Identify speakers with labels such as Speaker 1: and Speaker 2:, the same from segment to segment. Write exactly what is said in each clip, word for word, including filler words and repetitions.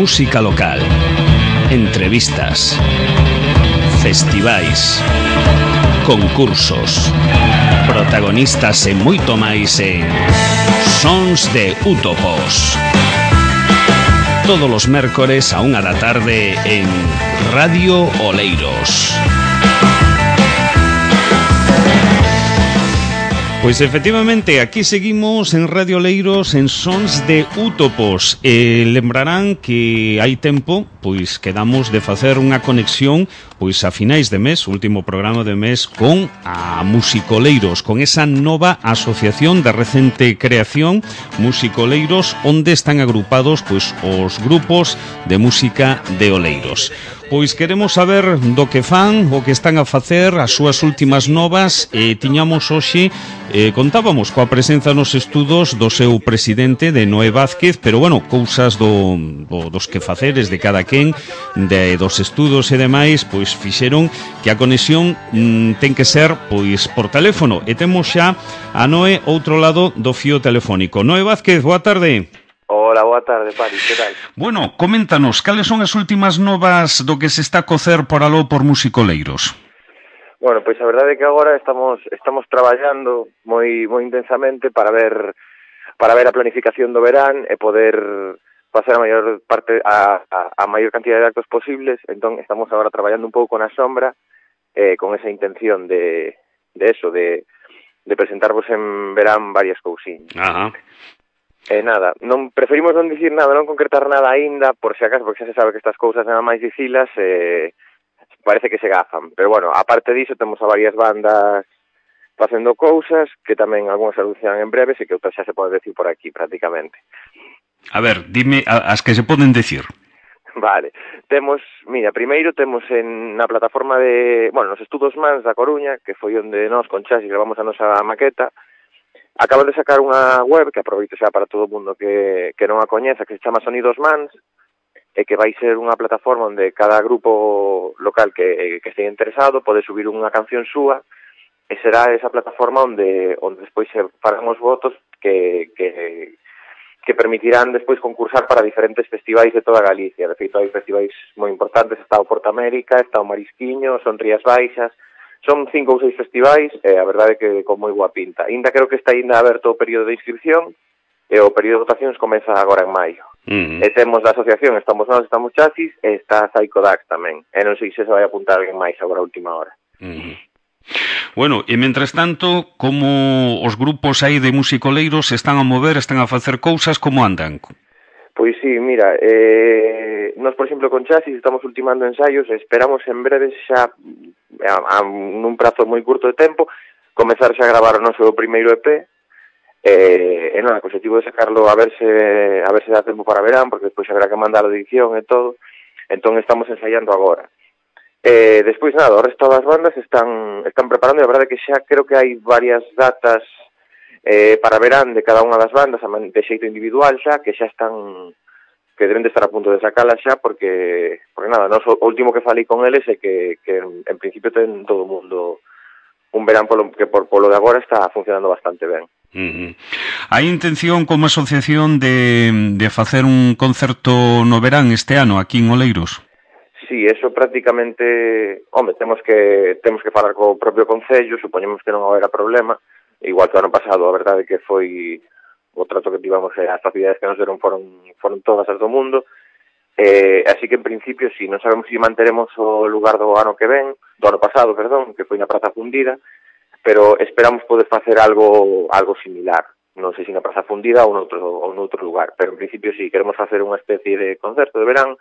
Speaker 1: Música local, entrevistas, festivais, concursos, protagonistas e moito máis en Sons de Útopos. Todos os mércores a unha da tarde en Radio Oleiros. Pois efectivamente, aquí seguimos en Radio Oleiros en Sons de Útopos. E lembrarán que hai tempo, pois quedamos de facer unha conexión pois a finais de mes, último programa de mes, con a Musicoleiros, con esa nova asociación de recente creación, Musicoleiros, onde están agrupados pois os grupos de música de Oleiros. Pois queremos saber do que fan, o que están a facer, as súas últimas novas, e tiñamos hoxe, eh, contábamos coa presenza nos estudos do seu presidente, de Noé Vázquez, pero bueno, cousas do, do, dos que faceres de cada quen, de, dos estudos e demais, pois fixeron que a conexión mm, ten que ser pois por teléfono, e temos xa a Noé outro lado do fío telefónico. Noé Vázquez, boa tarde.
Speaker 2: Hola, boa tarde, Pari, que tal?
Speaker 1: Bueno, coméntanos, cales son as últimas novas do que se está a cocer por aló por Musicoleiros?
Speaker 2: Bueno, pois a verdade é que agora estamos estamos traballando moi moi intensamente para ver para ver a planificación do verán e poder pasar a maior parte a, a, a maior cantidad de actos posibles. Entón estamos agora traballando un pouco na sombra eh, con esa intención de de eso, de de presentarvos en verán varias cousiñas.
Speaker 1: Ajá.
Speaker 2: E eh, nada, non preferimos non dicir nada, non concretar nada aínda, por se acaso, porque xa se sabe que estas cousas nada máis dicilas, eh, parece que se gafan. Pero bueno, aparte diso, temos a varias bandas facendo cousas, que tamén algunhas anunciarán en breves e que outras xa se pode decir por aquí, prácticamente.
Speaker 1: A ver, dime as que se poden decir.
Speaker 2: Vale, temos, mira, primeiro temos en na plataforma de, bueno, nos estudos Mans da Coruña, que foi onde nós con Chasis gravamos a nosa maqueta. Acaban de sacar unha web que aproveito xa para todo o mundo que, que non a coñeza, que se chama Sonidos Mans, e que vai ser unha plataforma onde cada grupo local que, que estea interesado pode subir unha canción súa, e será esa plataforma onde onde despois se farán os votos que, que, que permitirán despois concursar para diferentes festivais de toda Galicia. De feito, hai festivais moi importantes, está o Porto América, está o Marisquiño, son Rías Baixas. Son cinco ou seis festivais, e a verdade é que con moi boa pinta. Ainda creo que está ainda aberto o período de inscripción, e o período de votacións comeza agora en maio. Uh-huh. E temos da asociación, estamos nós, estamos Chasis, e está Psycho Dax tamén. E non sei se se vai apuntar alguén máis agora a última hora.
Speaker 1: Uh-huh. Bueno, e mentres tanto, como os grupos aí de musicoleiros se están a mover, están a facer cousas, como andan?
Speaker 2: Pois sí, mira, eh, nós, por exemplo, con Chasis estamos ultimando ensaios e esperamos en breve xa, a, a, nun prazo moi curto de tempo, comezar xa a gravar o noso primeiro E P, e, e non, o objetivo de sacarlo a ver se a ver se dá tempo para verán, porque despois haberá que mandar a edición e todo, entón estamos ensaiando agora. E despois nada, o resto das bandas están están preparando, e a verdade é que xa creo que hai varias datas eh, para verán de cada unha das bandas de xeito individual xa, que xa están, que deben de estar a punto de sacalas xa, porque, porque nada, nos, o último que falei con eles é que, que en, en principio ten todo o mundo un verán polo, que por polo de agora está funcionando bastante ben.
Speaker 1: Uh-huh. Hai intención como asociación de, de facer un concerto no verán este ano aquí en Oleiros?
Speaker 2: Sí, eso prácticamente, home, temos que temos que falar co propio concello, supoñemos que non haberá problema. Igual que o ano pasado, a verdade que foi o trato que tivamos, as facilidades que nos deron foron, foron todas as do mundo, eh, así que en principio sí, non sabemos se si manteremos o lugar do ano que ven, do ano pasado, perdón, que foi na Praza Fundida, pero esperamos poder facer algo algo similar, non sei se na Praza Fundida ou noutro, ou noutro lugar, pero en principio sí, queremos facer unha especie de concerto de verán,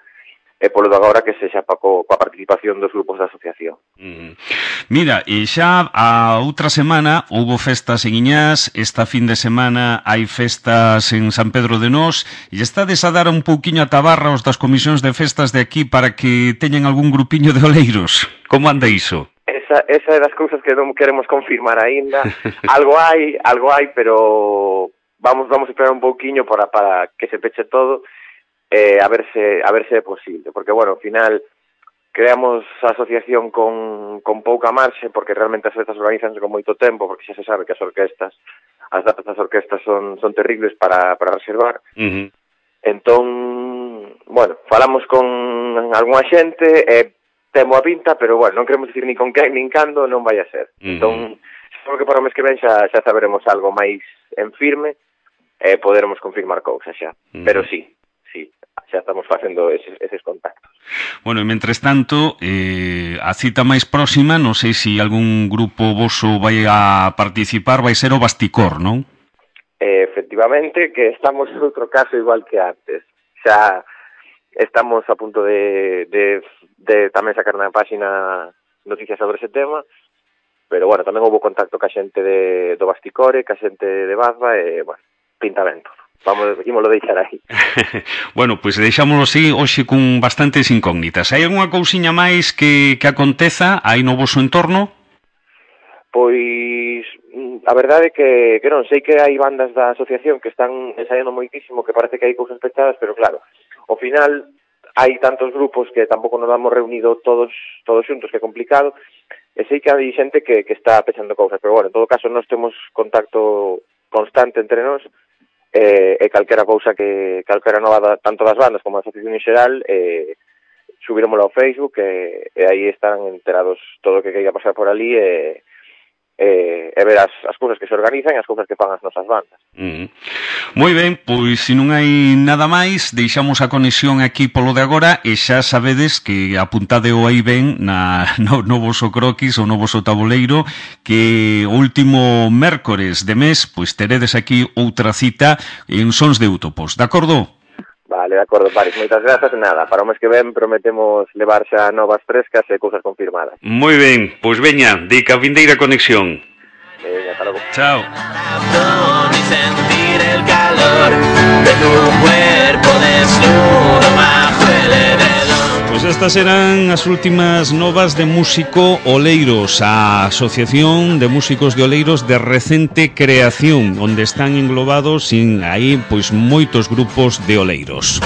Speaker 2: e polo de agora que sexa pa co, coa participación dos grupos da asociación.
Speaker 1: Mm. Mira, e xa a outra semana houbo festas en Iñás, esta fin de semana hai festas en San Pedro de Nós, e estades a dar un pouquiño a tabarra aos das comisións de festas de aquí para que teñan algún grupiño de oleiros. Como anda iso?
Speaker 2: Esa, esa é das cousas que non queremos confirmar aínda. Algo hai, algo hai, pero vamos vamos a esperar un pouquiño para, para que se peche todo. Eh, a ver se a ver se é posible, porque bueno, ao final creamos a asociación con, con pouca marxe, porque realmente as festas organizanse con moito tempo, porque xa se sabe que as orquestas, as datas das orquestas son son terribles para, para reservar. Uh-huh. Entón, bueno, falamos con algunha xente e temo a pinta, pero bueno, non queremos dicir ni con quen nin cando, non vai a ser. Uh-huh. Entón, seguro que para o mes que ven xa, xa saberemos algo máis en firme e poderemos confirmar cousas xa. Uh-huh. Pero sí, sí, xa estamos facendo eses, eses contactos.
Speaker 1: Bueno, e mentres tanto, eh, a cita máis próxima, non sei se algún grupo voso vai a participar, vai ser o Basticor, non?
Speaker 2: Eh, efectivamente, que estamos en outro caso igual que antes. Xa estamos a punto de, de, de tamén sacar na página noticias sobre ese tema, pero bueno, tamén houve contacto ca xente de, do Basticore, ca xente de Bazba, e, bueno, pinta ben todo. Vamos, ímolo deixar aí.
Speaker 1: Bueno, pois pues deixámoslo así hoxe con bastantes incógnitas. Hai algunha cousiña máis que, que aconteza aí no voso entorno?
Speaker 2: Pois a verdade é que, que non, sei que hai bandas da asociación que están ensaiando moitísimo, que parece que hai cousas pechadas, pero claro, ao final hai tantos grupos que tampouco nos damos reunido todos todos xuntos, que é complicado, e sei que hai xente que, que está pechando cousas, pero bueno, en todo caso nós temos contacto constante entre nós, e, e calquera cousa que calquera nova da, tanto das bandas como da asociación en xeral, e subiremoslo ao Facebook, e, e aí estarán enterados todo o que queira pasar por ali, e E, e ver as, as cousas que se organizan e as cousas que fan as nosas bandas.
Speaker 1: Mm. Moi ben, pois se non hai nada máis, deixamos a conexión aquí polo de agora, e xa sabedes que apuntade o aí ben na, no, no voso croquis ou no voso tabuleiro, que o último mércores de mes pois teredes aquí outra cita en Sons de Útopos, de acordo?
Speaker 2: Vale, de acordo, Paris, moitas grazas. Nada, para o mes que ven prometemos levar xa novas frescas e cousas confirmadas.
Speaker 1: Moi ben, pois veña, de ca vindeira conexión.
Speaker 2: Veña, hasta logo.
Speaker 1: Chao.
Speaker 3: Y sentir el calor de tu cuerpo desnudo bajo el edredón.
Speaker 1: Pois estas eran as últimas novas de Músico Oleiros, a Asociación de Músicos de Oleiros de recente creación, onde están englobados sin aí pois moitos grupos de oleiros.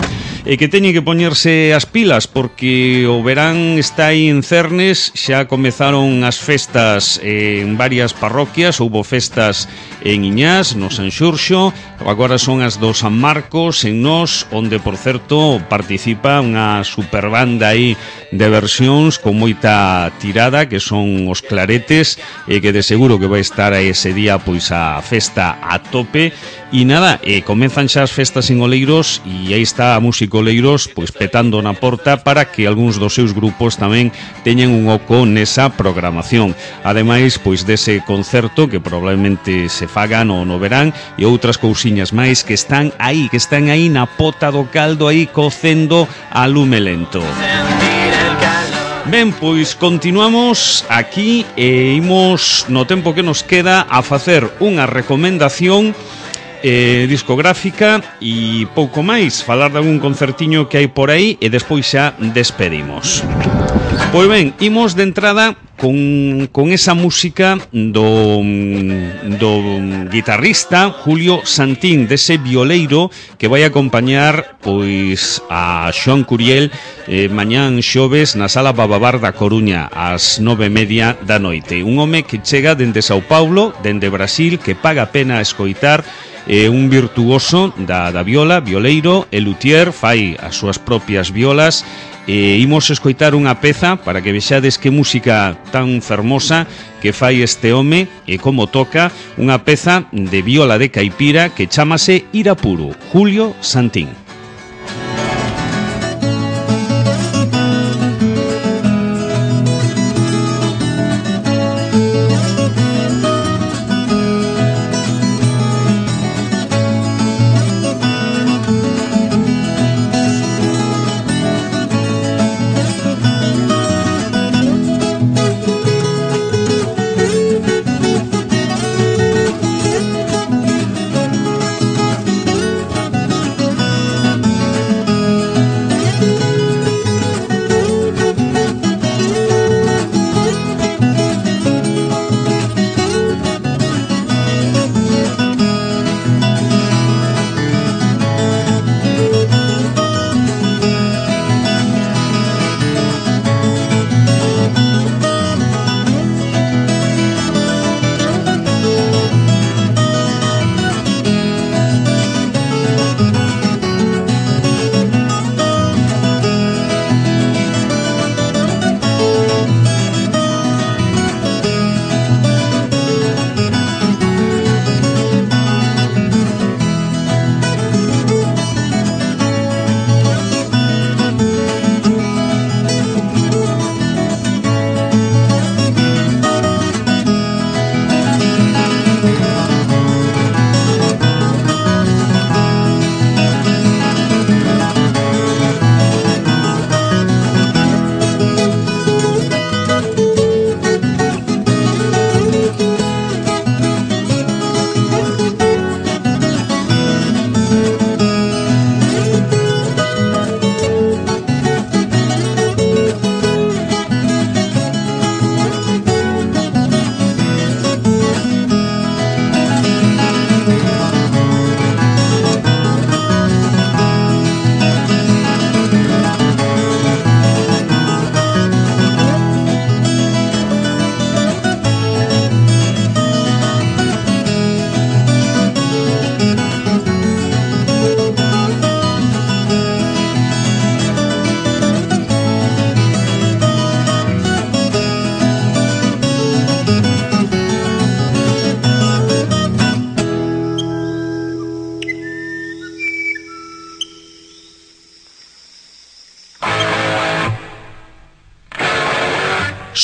Speaker 1: E que teñen que poñerse as pilas porque o verán está aí en cernes, xa comezaron as festas en varias parroquias, houbo festas en Iñás, no San Xurxo, agora son as do San Marcos en Nós, onde por certo participa unha superbanda aí de versións con moita tirada, que son os Claretes, e que de seguro que vai estar aí ese día pois a festa a tope. E nada, e comezan xa as festas en Oleiros, e aí está a Músico Oleiros pois petando na porta para que algúns dos seus grupos tamén teñan un oco nesa programación. Ademais, pois dese concerto que probablemente se faga no, no verán, e outras cousiñas máis que están aí, que están aí na pota do caldo, aí cocendo a lume lento. Ben, pois continuamos aquí e imos no tempo que nos queda a facer unha recomendación eh, discográfica e pouco máis, falar de algún concertiño que hai por aí e despois xa despedimos. Pois ben, imos de entrada con, con esa música do, do guitarrista Julio Santín, dese violeiro que vai acompañar pois a Xoan Curiel eh, mañán xoves na Sala Bababar da Coruña ás nove e media da noite. Un home que chega dende Sao Paulo, dende Brasil, que paga a pena escoitar, é eh, un virtuoso da, da viola, violeiro e luthier, fai as súas propias violas. E imos escoitar unha peza para que vexades que música tan fermosa que fai este home e como toca, unha peza de viola de caipira que chámase Irapuru, Julio Santín.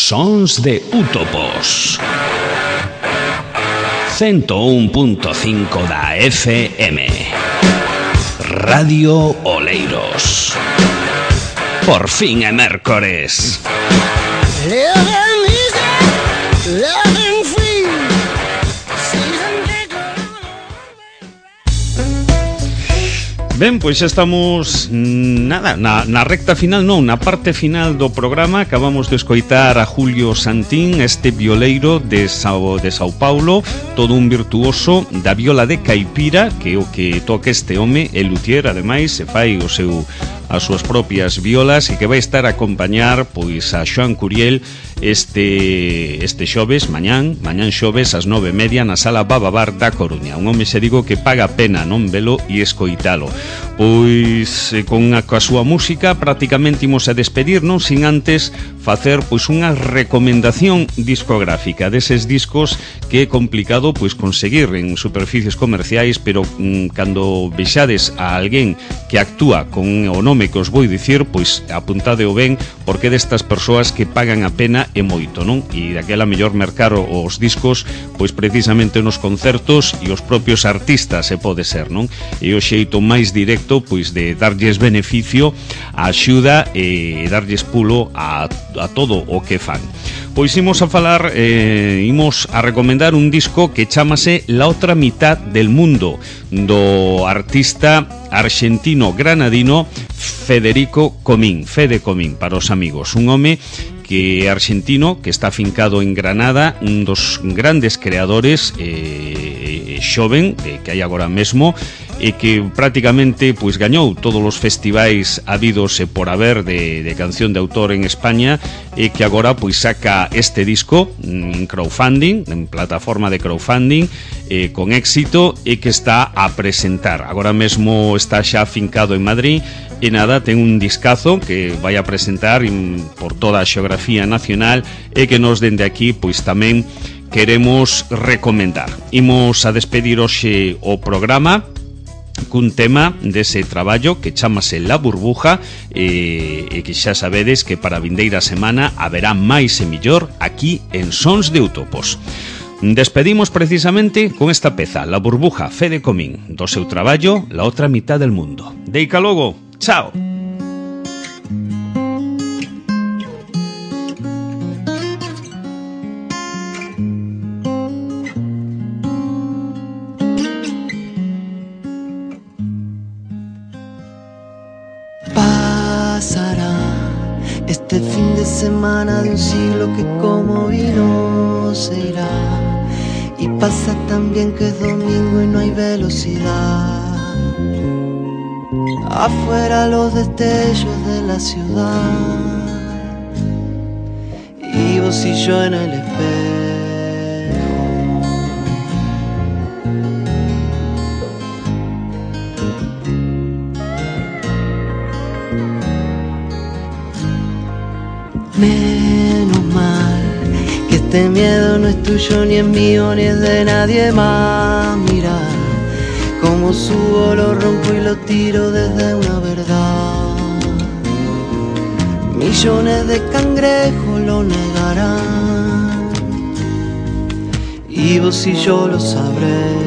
Speaker 1: Sons de Útopos ciento un punto cinco da F M Radio Oleiros. Por fin é mércores. Ben, pois xa estamos nada, na, na recta final, non, na parte final do programa. Acabamos de escoitar a Julio Santín, este violeiro de Sao, de Sao Paulo, todo un virtuoso da viola de caipira, que o que toca este home, el luthier, ademais, se fai o seu as súas propias violas e que vai estar a acompañar pois a Xoan Curiel este este xoves, mañán, mañán xoves ás nove e media na Sala Bababar da Coruña. Un home, se digo, que paga pena non velo e escoitalo. Pois eh, con a, coa súa música prácticamente imos a despedirnos sin antes facer pois unha recomendación discográfica deses discos que é complicado pois conseguir en superficies comerciais, pero mm, cando vexades a alguén que actúa con o nome que os vou dicir, pois apuntade o ben, porque destas persoas que pagan a pena e moito, non? E daquela mellor mercar os discos pois precisamente nos concertos e os propios artistas, se pode ser, non? E o xeito máis directo pois de darlles beneficio, a axuda e darlles pulo a, a todo o que fan. Pois imos a falar, eh, imos a recomendar un disco que chamase La Otra Mitad del Mundo, do artista argentino granadino Federico Comín, Fede Comín para os amigos, un home que é argentino, que está afincado en Granada, un dos grandes creadores eh, xoven eh, que hai agora mesmo, e que prácticamente pois gañou todos os festivais habidos e por haber de, de canción de autor en España, e que agora pois saca este disco en crowdfunding, en plataforma de crowdfunding, eh, con éxito, e que está a presentar. Agora mesmo está xa afincado en Madrid e nada, ten un discazo que vai a presentar in, por toda a xeografía nacional, e que nos dende aquí pois tamén queremos recomendar. Imos a despedir hoxe o programa cun tema dese traballo que chamase La Burbuja, e, e que xa sabedes que para a vindeira semana haberá máis e millor aquí en Sons de Útopos. Despedimos precisamente con esta peza, La Burbuja, Fede Comín, do seu traballo La Otra Mitad del Mundo. Deica logo, chao.
Speaker 4: Este fin de semana de un siglo que como vino se irá, y pasa también que es domingo y no hay velocidad. Afuera los destellos de la ciudad, y vos y yo en el espejo. Menos mal que este miedo no es tuyo ni es mío ni es de nadie más. Mira cómo subo, lo rompo y lo tiro desde una verdad. Millones de cangrejos lo negarán, y vos y yo lo sabremos.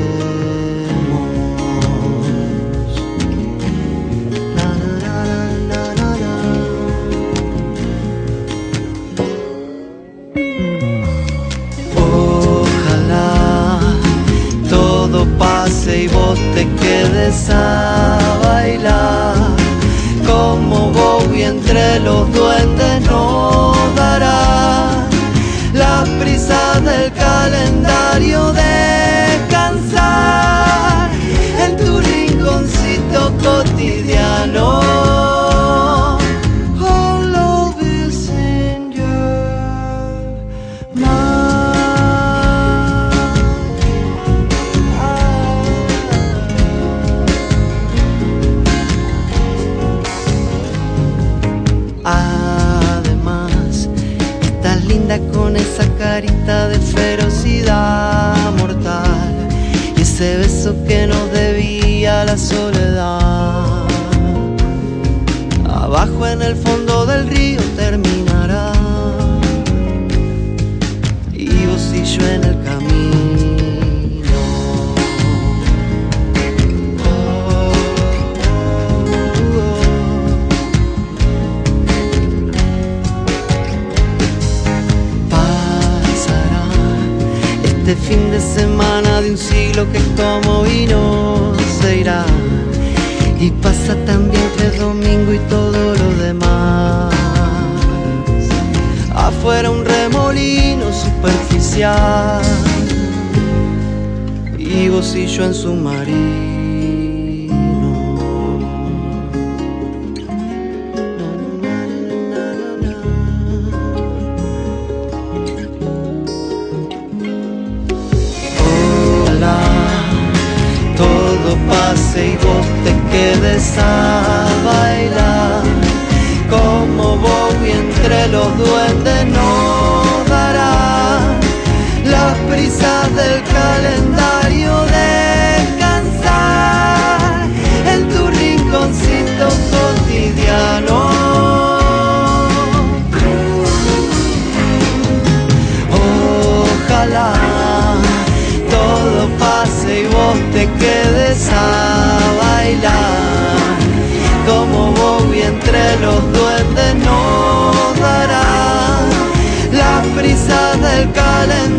Speaker 4: Y vos te quedes a bailar como Bowie entre los duendes nos dará la prisa del calendario descansar en tu rinconcito cotidiano. All of is in your mind. Con esa carita de ferocidad mortal y ese beso lo que como y no se irá. Y pasa también que es domingo y todo lo demás. Afuera un remolino superficial y Gocillo en su marino. Y vos te quedes a bailar como Bowie entre los duendes nos dará las prisas del calendario, descansar en tu rinconcito cotidiano. Ojalá todo pase y vos te quedes a bailar como Bowie entre los duendes nos dará las prisas del calendario.